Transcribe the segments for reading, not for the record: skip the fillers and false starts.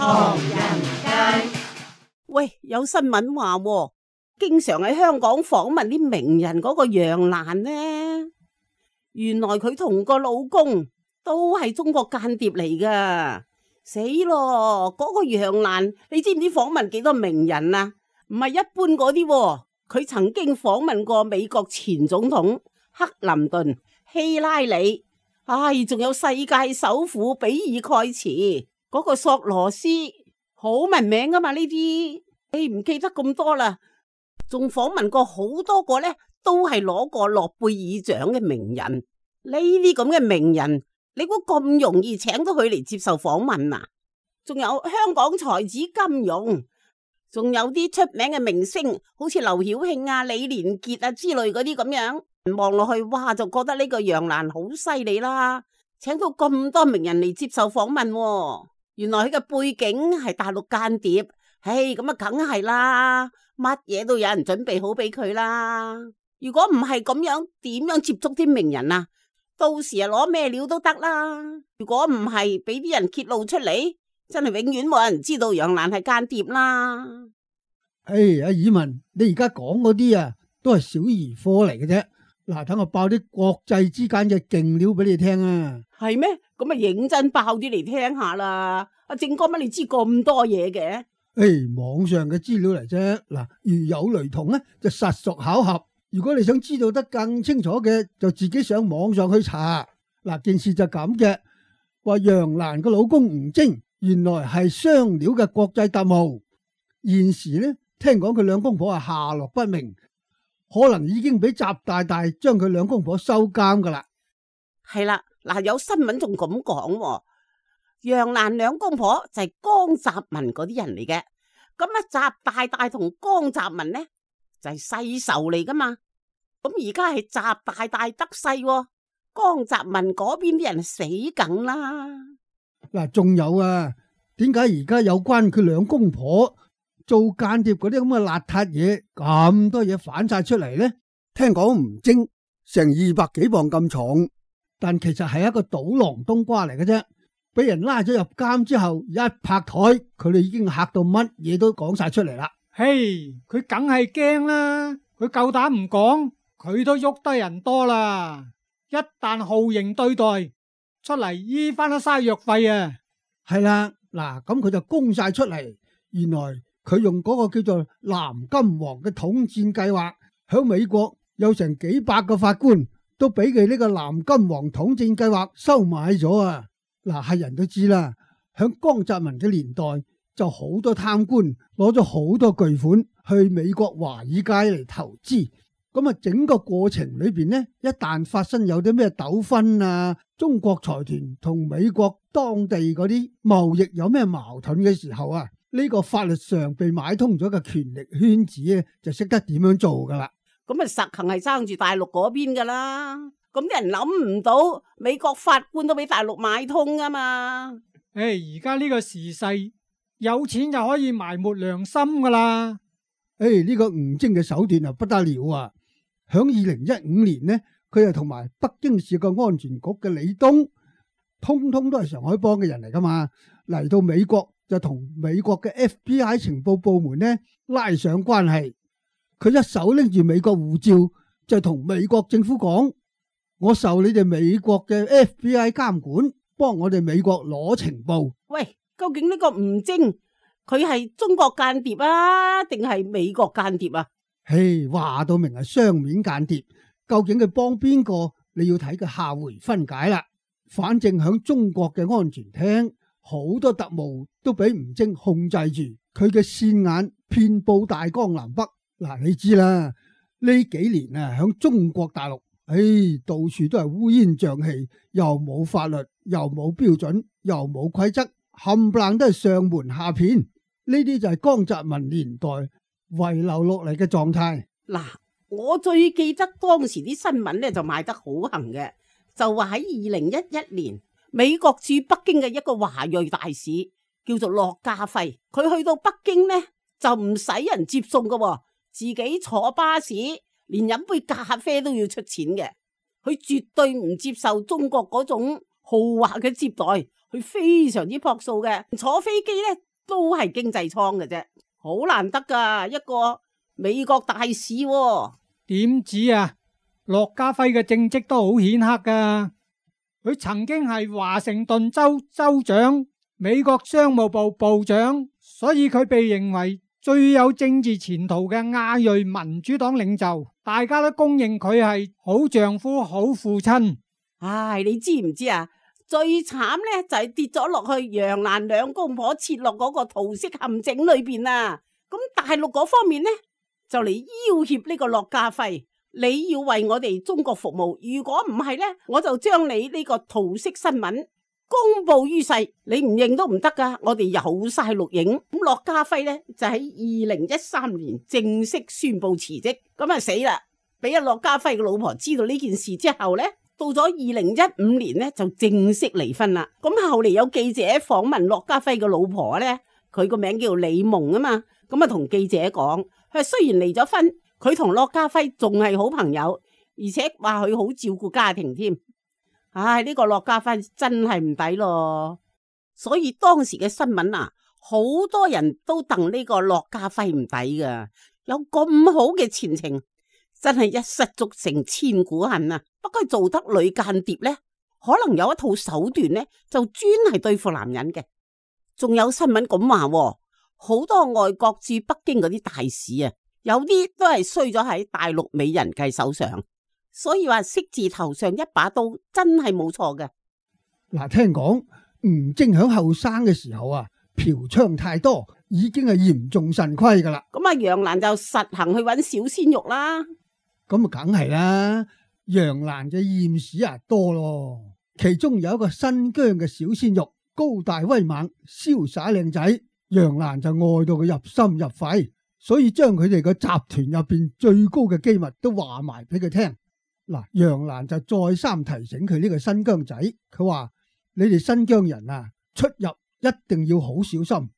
唐人街。喂，有新聞話喎，經常喺香港訪問啲名人嗰個楊瀾呢，原來佢同個老公都係中國間諜嚟噶，死咯！嗰個楊瀾，你知唔知訪問幾多名人啊？唔係一般嗰啲喎，佢曾經訪問過美國前總統克林頓、希拉里，仲有世界首富比爾蓋茨，嗰個索羅斯，好聞名噶嘛呢啲，你唔記得咁多啦。仲訪問過好多個呢，都係攞過諾貝爾獎嘅名人。呢啲咁嘅名人，你估咁容易請到佢嚟接受訪問啊？仲有香港才子金庸，仲有啲出名嘅明星，好似劉曉慶啊、李連杰啊之類嗰啲咁樣，望落去哇，就覺得呢個楊瀾好犀利啦，請到咁多名人嚟接受訪問喎。原來佢嘅背景係大陸間諜，咁啊梗係啦，乜嘢都有人準備好俾佢啦。如果唔係咁樣，點樣接觸啲名人啊？到時啊攞咩料都得啦。如果唔係俾啲人揭露出嚟，真係永遠冇人知道楊瀾係間諜啦。阿爾文，你而家講嗰啲啊，都係小兒科嚟嘅啫。嗱，等我爆啲國際之間嘅勁料俾你聽啊。係咩？咁啊認真爆啲嚟聽下啦。阿正哥，乜你知咁多嘢嘅？網上嘅資料嚟啫。嗱，如有雷同咧，就實屬巧合。如果你想知道得更清楚嘅，就自己上網上去查。嗱，件事就咁嘅，話楊瀾個老公吳征原來係雙料嘅國際特務，現時呢，聽講佢兩公婆係下落不明，可能已經俾習大大將佢兩公婆收監噶啦。係啦，嗱，有新聞仲咁講，楊瀾兩公婆就係江澤民嗰啲人嚟嘅。咁啊，習大大同江澤民呢就係世仇嚟噶嘛。咁而家係習大大得勢，江澤民嗰邊啲人死梗啦。嗱，仲有啊，點解而家有關佢兩公婆做間諜嗰啲咁嘅邋遢嘢，咁多嘢反晒出嚟呢？聽講吳征成200幾磅咁重，但其實係一個賭囊冬瓜嚟嘅啫。俾人拉咗入監之後，一拍台，佢哋已經嚇到乜嘢都講晒出嚟啦。佢梗係驚啦，佢夠膽唔講，佢都喐得人多啦。一旦酷刑對待，出嚟醫翻都嘥藥費啊。係啦，嗱，咁佢就供晒出嚟。原來佢用嗰個叫做藍金黃嘅統戰計劃，響美國有成幾百個法官都俾佢呢個藍金黃統戰計劃收買咗啊。嗱，係人都知啦，響江澤民嘅年代就好多貪官攞咗好多巨款去美國華爾街嚟投資。咁啊，整個過程裏邊呢，一旦發生有啲咩糾紛啊，中國財團同美國當地嗰啲貿易有咩矛盾嘅時候啊，呢個法律上被買通咗嘅權力圈子咧，就識得點樣做噶啦。咁啊，實行係爭住大陸嗰邊噶啦。咁啲人諗唔到，美國法官都俾大陸買通噶嘛。而家呢個時勢，有錢就可以埋沒良心噶啦。呢個吳征嘅手段啊不得了啊！響2015年呢，佢又同埋北京市個安全局嘅李東，通通都係上海幫嘅人嚟噶嘛，嚟到美國就同美國嘅 FBI 情報部門呢拉上關係。佢一手拎住美國護照，就同美國政府講：我受你哋美國嘅 FBI 監管，幫我哋美國攞情報。喂，究竟呢個吳征佢係中國間諜啊，定係美國間諜啊？話到明係雙面間諜，究竟佢幫邊個？你要睇佢下回分解啦。反正響中國嘅安全廳，好多特務都俾吳征控制住，佢嘅線眼遍布大江南北。嗱，你知啦，呢幾年啊，響中國大陸，到處都係烏煙瘴氣，又冇法律，又冇標準，又冇規則，冚唪唥都係上瞞下騙。呢啲就係江澤民年代遺留落嚟嘅狀態。嗱，我最記得當時啲新聞咧就賣得好行嘅，就話喺2011年，美國駐北京嘅一個華裔大使叫做駱家輝，佢去到北京呢就唔使人接送噶，自己坐巴士，連飲杯咖啡都要出錢嘅。佢絕對唔接受中國嗰種豪華嘅接待，佢非常之樸素嘅。坐飛機呢都係經濟艙嘅啫，好難得噶一個美國大使喎。點止啊？駱家輝嘅政績都好顯赫噶，佢曾經係華盛頓州州長、美國商務部部長，所以佢被認為最有政治前途嘅亞裔民主黨領袖，大家都公認佢係好丈夫、好父親。唉，你知唔知啊？最慘呢就係跌咗落去楊蘭兩公婆設落嗰個桃色陷阱裏邊啊！咁大陸嗰方面呢就嚟要挾呢個駱家輝，你要為我哋中國服務，如果唔係呢，我就將你呢個桃色新聞公布於世，你唔認都唔得噶。我哋有晒錄影。咁駱家輝呢就喺2013年正式宣布辭職，咁啊死啦！俾阿駱家輝嘅老婆知道呢件事之後呢，到咗2015年呢就正式離婚啦。咁後嚟有記者訪問駱家輝嘅老婆呢，佢個名叫李夢啊嘛，咁啊同記者講，佢雖然離咗婚，佢同駱家輝仲係好朋友，而且話佢好照顧家庭添。唉，呢個駱家輝真係唔抵咯。所以當時嘅新聞啊，好多人都戥呢個駱家輝唔抵噶，有咁好嘅前程，真係一失足成千古恨啊！不過做得女間諜呢，可能有一套手段呢，就專係對付男人嘅。仲有新聞咁話，好多外國駐北京嗰啲大使啊，有啲都係衰咗喺大陸美人計手上。所以話色字頭上一把刀真係冇錯嘅。嗱，聽講吳征響後生嘅時候啊，嫖娼太多，已經係嚴重腎虧噶啦。咁啊，楊蘭就實行去揾小鮮肉啦。咁啊，梗係啦，楊蘭嘅艷史啊多咯，其中有一個新疆嘅小鮮肉，高大威猛，瀟灑靚仔，楊蘭就愛到佢入心入肺，所以將佢哋個集團入邊最高嘅機密都話埋俾佢聽。嗱，楊蘭就再三提醒佢呢個新疆仔，佢話你哋新疆人啊，出入一定要好小心，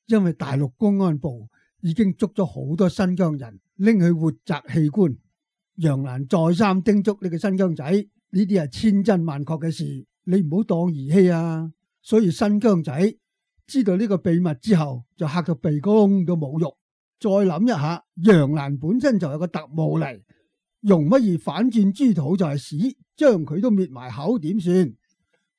因為大陸公安部已經捉咗好多新疆人拎去活摘器官。楊蘭再三叮囑呢個新疆仔，呢啲係千真萬確嘅事，你唔好當兒戲啊。所以新疆仔知道呢個秘密之後，就嚇到鼻哥窿都冇肉。再諗一下，楊蘭本身就有個特務嚟，容乜易反轉豬肚就係屎，將佢都滅埋口點算？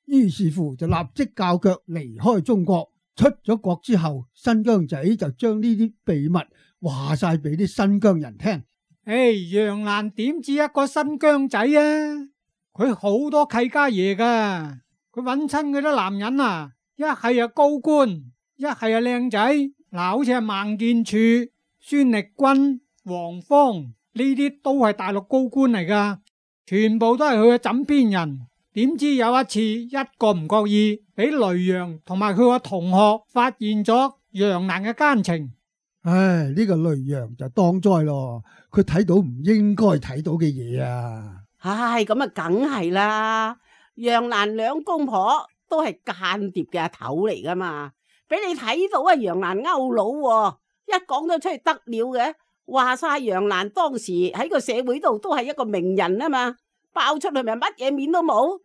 於是乎就立即教腳離開中國。出咗國之後，新疆仔就將呢啲秘密話晒俾啲新疆人聽。楊蘭點止一個新疆仔啊？佢好多契家爺噶，佢揾親嗰啲男人啊，一係高官，一係靚仔。嗱，好似係孟建柱、孫力軍、黃芳呢啲都係大陸高官嚟噶，全部都係佢嘅枕邊人。點知有一次，一個唔覺意俾雷陽同埋佢個同學發現咗楊蘭嘅奸情。唉，呢個雷陽就當災咯，佢睇到唔應該睇到嘅嘢啊！唉，咁啊，梗係啦，楊蘭兩公婆都係間諜嘅阿頭嚟噶嘛，俾你睇到啊，楊蘭勾佬，一講咗出去得了嘅，話晒楊蘭當時喺個社會度都係一個名人啊嘛，爆出去咪乜嘢面都冇。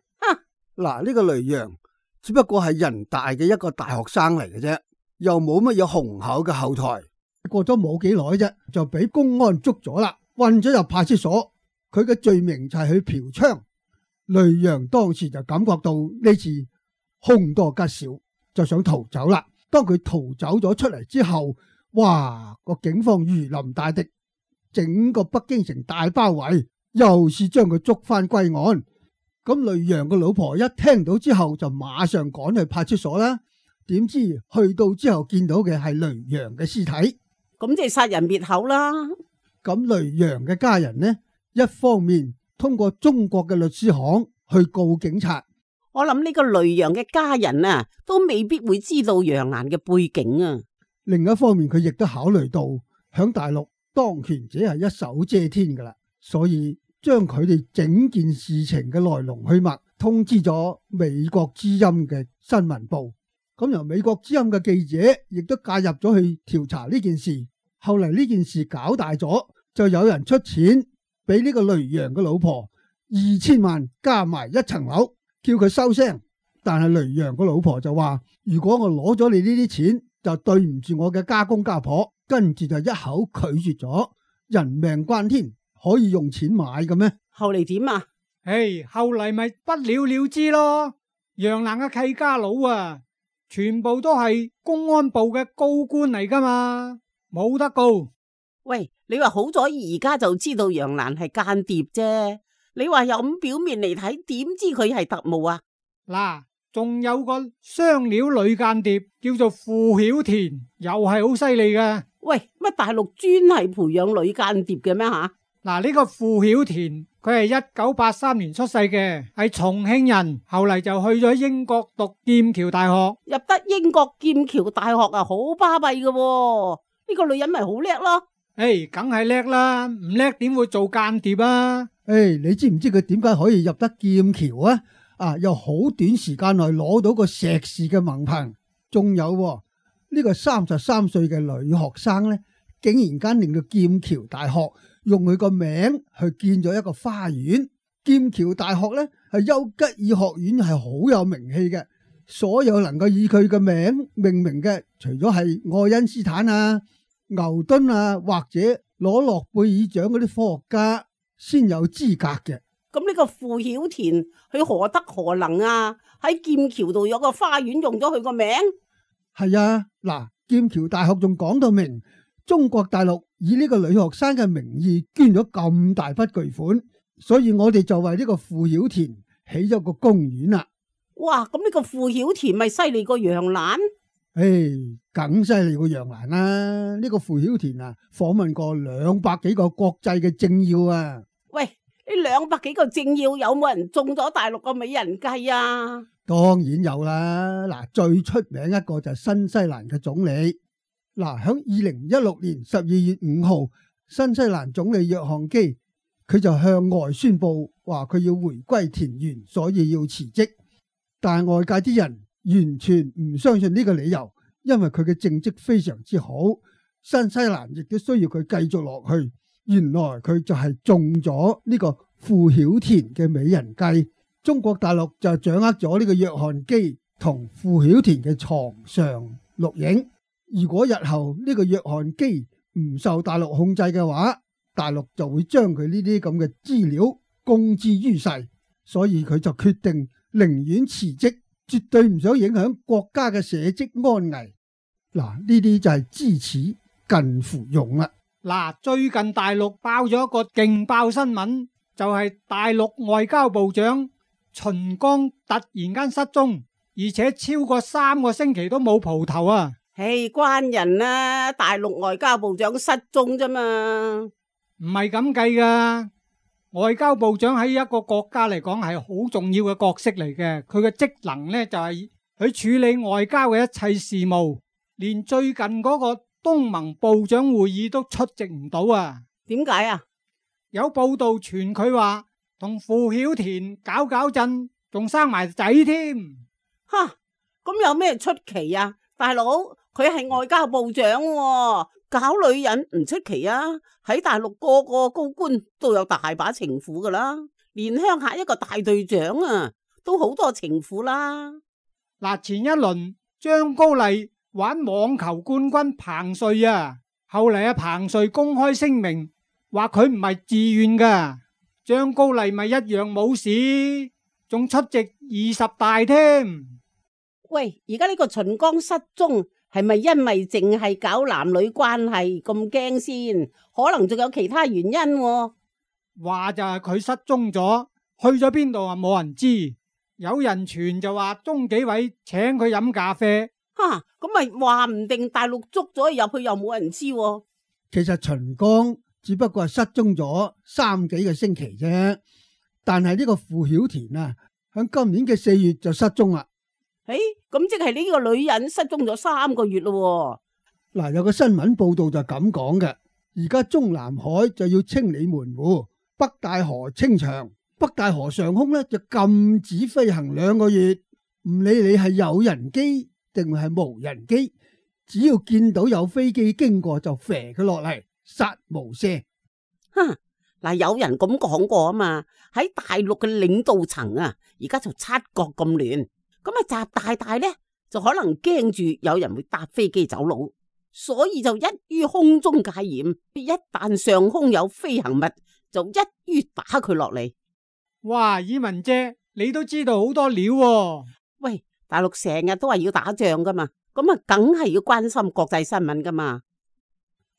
嗱，呢個雷陽只不過係人大嘅一個大學生嚟嘅啫，又冇乜嘢雄厚嘅後台。過咗冇幾耐啫，就俾公安捉咗啦，運咗入派出所。佢嘅罪名就係去嫖娼。雷陽當時就感覺到呢次凶多吉少，就想逃走啦。當佢逃走咗出嚟之後，哇！個警方如臨大敵，整個北京城大包圍，又是將佢捉翻歸案。咁雷陽個老婆一聽到之後，就馬上趕去派出所啦。點知去到之後見到嘅係雷陽嘅屍體。咁即係殺人滅口啦。咁雷陽嘅家人呢，一方面通過中國嘅律師行去告警察。我諗呢個雷陽嘅家人啊，都未必會知道楊蘭嘅背景啊。另一方面，佢亦都考慮到響大陸當權者係一手遮天噶啦，所以將佢哋整件事情嘅來龍去脈通知咗美國之音嘅新聞部。咁由美國之音嘅記者亦都介入咗去調查呢件事。後嚟呢件事搞大咗，就有人出錢俾呢個雷陽嘅老婆2000萬加埋一層樓，叫佢收聲。但係雷陽個老婆就話：如果我攞咗你呢啲錢，就對唔住我嘅家公家婆，跟住就一口拒絕咗。人命關天，可以用錢買嘅咩？後嚟點啊？後嚟咪不了了之咯。楊蘭嘅契家佬啊，全部都係公安部嘅高官嚟噶嘛，冇得告。喂，你話好咗而家就知道楊蘭係間諜啫，你話有咁表面嚟睇，點知佢係特務啊？嗱，仲有個雙料女間諜叫做傅曉田，又係好犀利嘅。喂，乜大陸專係培養女間諜嘅咩吓？嗱，呢個傅曉田佢係1983年出世嘅，係重慶人，後嚟就去咗英國讀劍橋大學。入得英國劍橋大學啊，好巴閉嘅。呢個女人咪好叻咯。梗係叻啦，唔叻點會做間諜啊？你知唔知佢點解可以入得劍橋啊？又好短時間內攞到個碩士嘅文憑，仲有呢個33歲嘅女學生呢，竟然間令到劍橋大學用佢個名去建咗一個花園。劍橋大學呢係丘吉爾學院，係好有名氣嘅。所有能夠以佢嘅名命名嘅，除咗係愛因斯坦啊、牛頓啊，或者攞諾貝爾獎嗰啲科學家先有資格嘅。咁呢個傅曉田佢何德何能啊？喺劍橋度有個花園用咗佢個名。係啊，嗱，劍橋大學仲講到明，中國大陸以呢個女學生嘅名義捐咗咁大筆巨款，所以我哋就為呢個傅曉田起咗個公園啦。哇，咁呢個傅曉田咪犀利過楊蘭？梗犀利過楊蘭啦！呢個傅曉田啊，訪問過200幾個國際嘅政要啊。喂，呢200幾個政要有冇人中咗大陸個美人計啊？當然有啦，嗱，最出名一個就係新西蘭嘅總理。嗱，響2016年12月5號，新西蘭總理約翰基佢就向外宣布話佢要回歸田園，所以要辭職。但係外界啲人完全唔相信呢個理由，因為佢嘅政績非常之好，新西蘭亦都需要佢繼續落去。原來佢就係中咗呢個傅曉田嘅美人計。中國大陸就掌握咗呢個約翰基同傅曉田嘅床上錄影。如果日後呢個約翰基唔受大陸控制嘅話，大陸就會將佢呢啲咁嘅資料公之於世，所以佢就決定寧願辭職，絕對唔想影響國家嘅社稷安危。嗱，呢啲就係知恥近乎勇啦。嗱，最近大陸爆咗一個勁爆新聞，就係大陸外交部長秦剛突然間失蹤，而且超過3個星期都冇蒲頭啊！關人啊，大陸外交部長失蹤啫嘛，唔係咁計噶。外交部長喺一個國家嚟講係好重要嘅角色嚟嘅，佢嘅職能呢，就係去處理外交嘅一切事務，連最近嗰個東盟部長會議都出席唔到啊！點解啊？有報道傳佢話同傅曉田搞震，仲生埋仔添。吓，咁有咩出奇啊？大佬，佢係外交部長喎，搞女人唔出奇啊！喺大陸個個高官都有大把情婦噶啦，連鄉下一個大隊長啊，都好多情婦啦。嗱，前一輪張高麗玩網球冠軍彭帥啊，後嚟彭帥公開聲明話佢唔係自願噶，張高麗咪一樣冇事，仲出席20大添。喂，而家呢個秦剛失蹤係咪因為淨係搞男女關係咁驚先？可能仲有其他原因喎。話就係佢失蹤咗，去咗邊度啊？冇人知。有人傳就話鍾紀委請佢飲咖啡。吓，咁咪話唔定大陸捉咗入去又冇人知喎。其實秦剛只不過係失蹤咗3幾個星期啫，但係呢個傅曉田啊，喺今年嘅4月就失蹤啦。咁即係呢個女人失蹤咗3個月咯。嗱，有個新聞報道就咁講嘅，而家中南海就要清理門戶，北大河清場，北大河上空呢就禁止飛行2個月，唔理你係有人機定係無人機，只要見到有飛機經過就射佢落嚟，殺無赦。嗱，有人咁講過啊嘛，喺大陸嘅領導層啊，而家就七國咁亂。咁啊，習大大呢就可能驚住有人會搭飛機走佬，所以就一於空中戒嚴。一旦上空有飛行物，就一於打佢落嚟。哇，以文姐，你都知道好多料喎。喂，大陸成日都話要打仗噶嘛，咁啊，梗係要關心國際新聞噶嘛。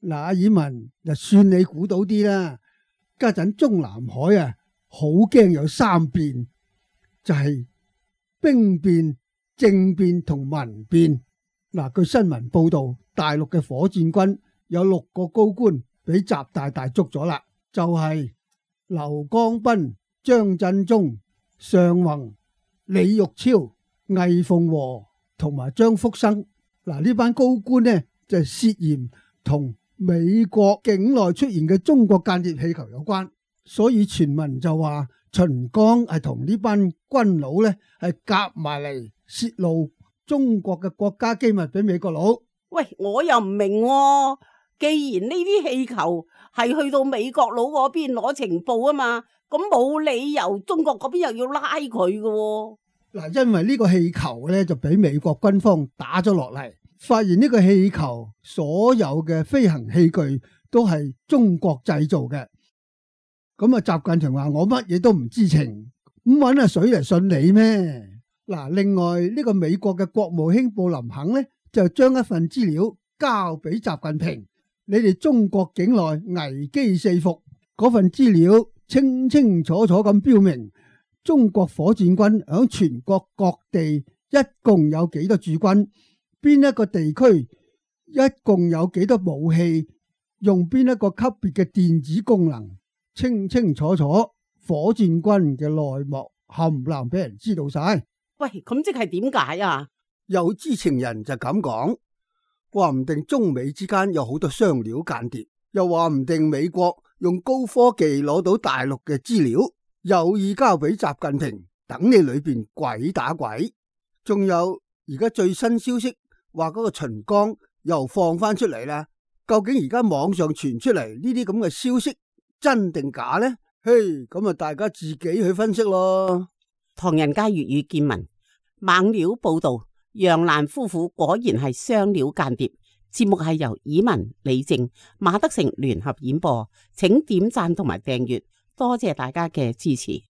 嗱，阿以文就算你估到啲啦。家陣中南海啊，好驚有三變，就係兵變、政變同民變。嗱，據新聞報道，大陸嘅火箭軍有6個高官俾習大大捉咗啦，就係劉光斌、張振中、尚宏、李玉超、魏鳳和同埋張福生。嗱，呢班高官呢就涉嫌同美國境內出現嘅中國間諜氣球有關，所以傳聞就話秦剛係同呢班軍佬呢係夾埋嚟泄露中國嘅國家機密俾美國佬。喂，我又唔明喎，既然呢啲氣球係去到美國佬嗰邊攞情報啊嘛，咁冇理由中國嗰邊又要拉佢嘅喎。嗱，因為呢個氣球呢就俾美國軍方打咗落嚟。發現呢個氣球所有嘅飛行器具都係中國製造嘅，咁啊習近平話我乜嘢都唔知情，咁搵阿水嚟信你咩？嗱，另外呢個美國嘅國務卿布林肯呢，就將一份資料交俾習近平，你哋中國境內危機四伏，嗰份資料清清楚楚咁標明，中國火箭軍響全國各地一共有幾多駐軍。邊一個地區一共有幾多武器，用邊一個級別嘅電子功能，清清楚楚，火箭軍嘅內幕冚唪唥俾人知道晒。喂，咁即係點解啊？有知情人就咁講，話唔定中美之間有好多雙料間諜，又話唔定美國用高科技攞到大陸嘅資料，有意交俾習近平，等你裏邊鬼打鬼。仲有而家最新消息，話嗰個秦剛又放翻出嚟啦，究竟而家網上傳出嚟呢啲咁嘅消息真定假呢？嘿，咁啊大家自己去分析咯。唐人街粵語見聞猛料報道，楊瀾夫婦果然係雙料間諜。節目係由以文、李靜、馬德成聯合演播，請點讚同埋訂閱，多謝大家嘅支持。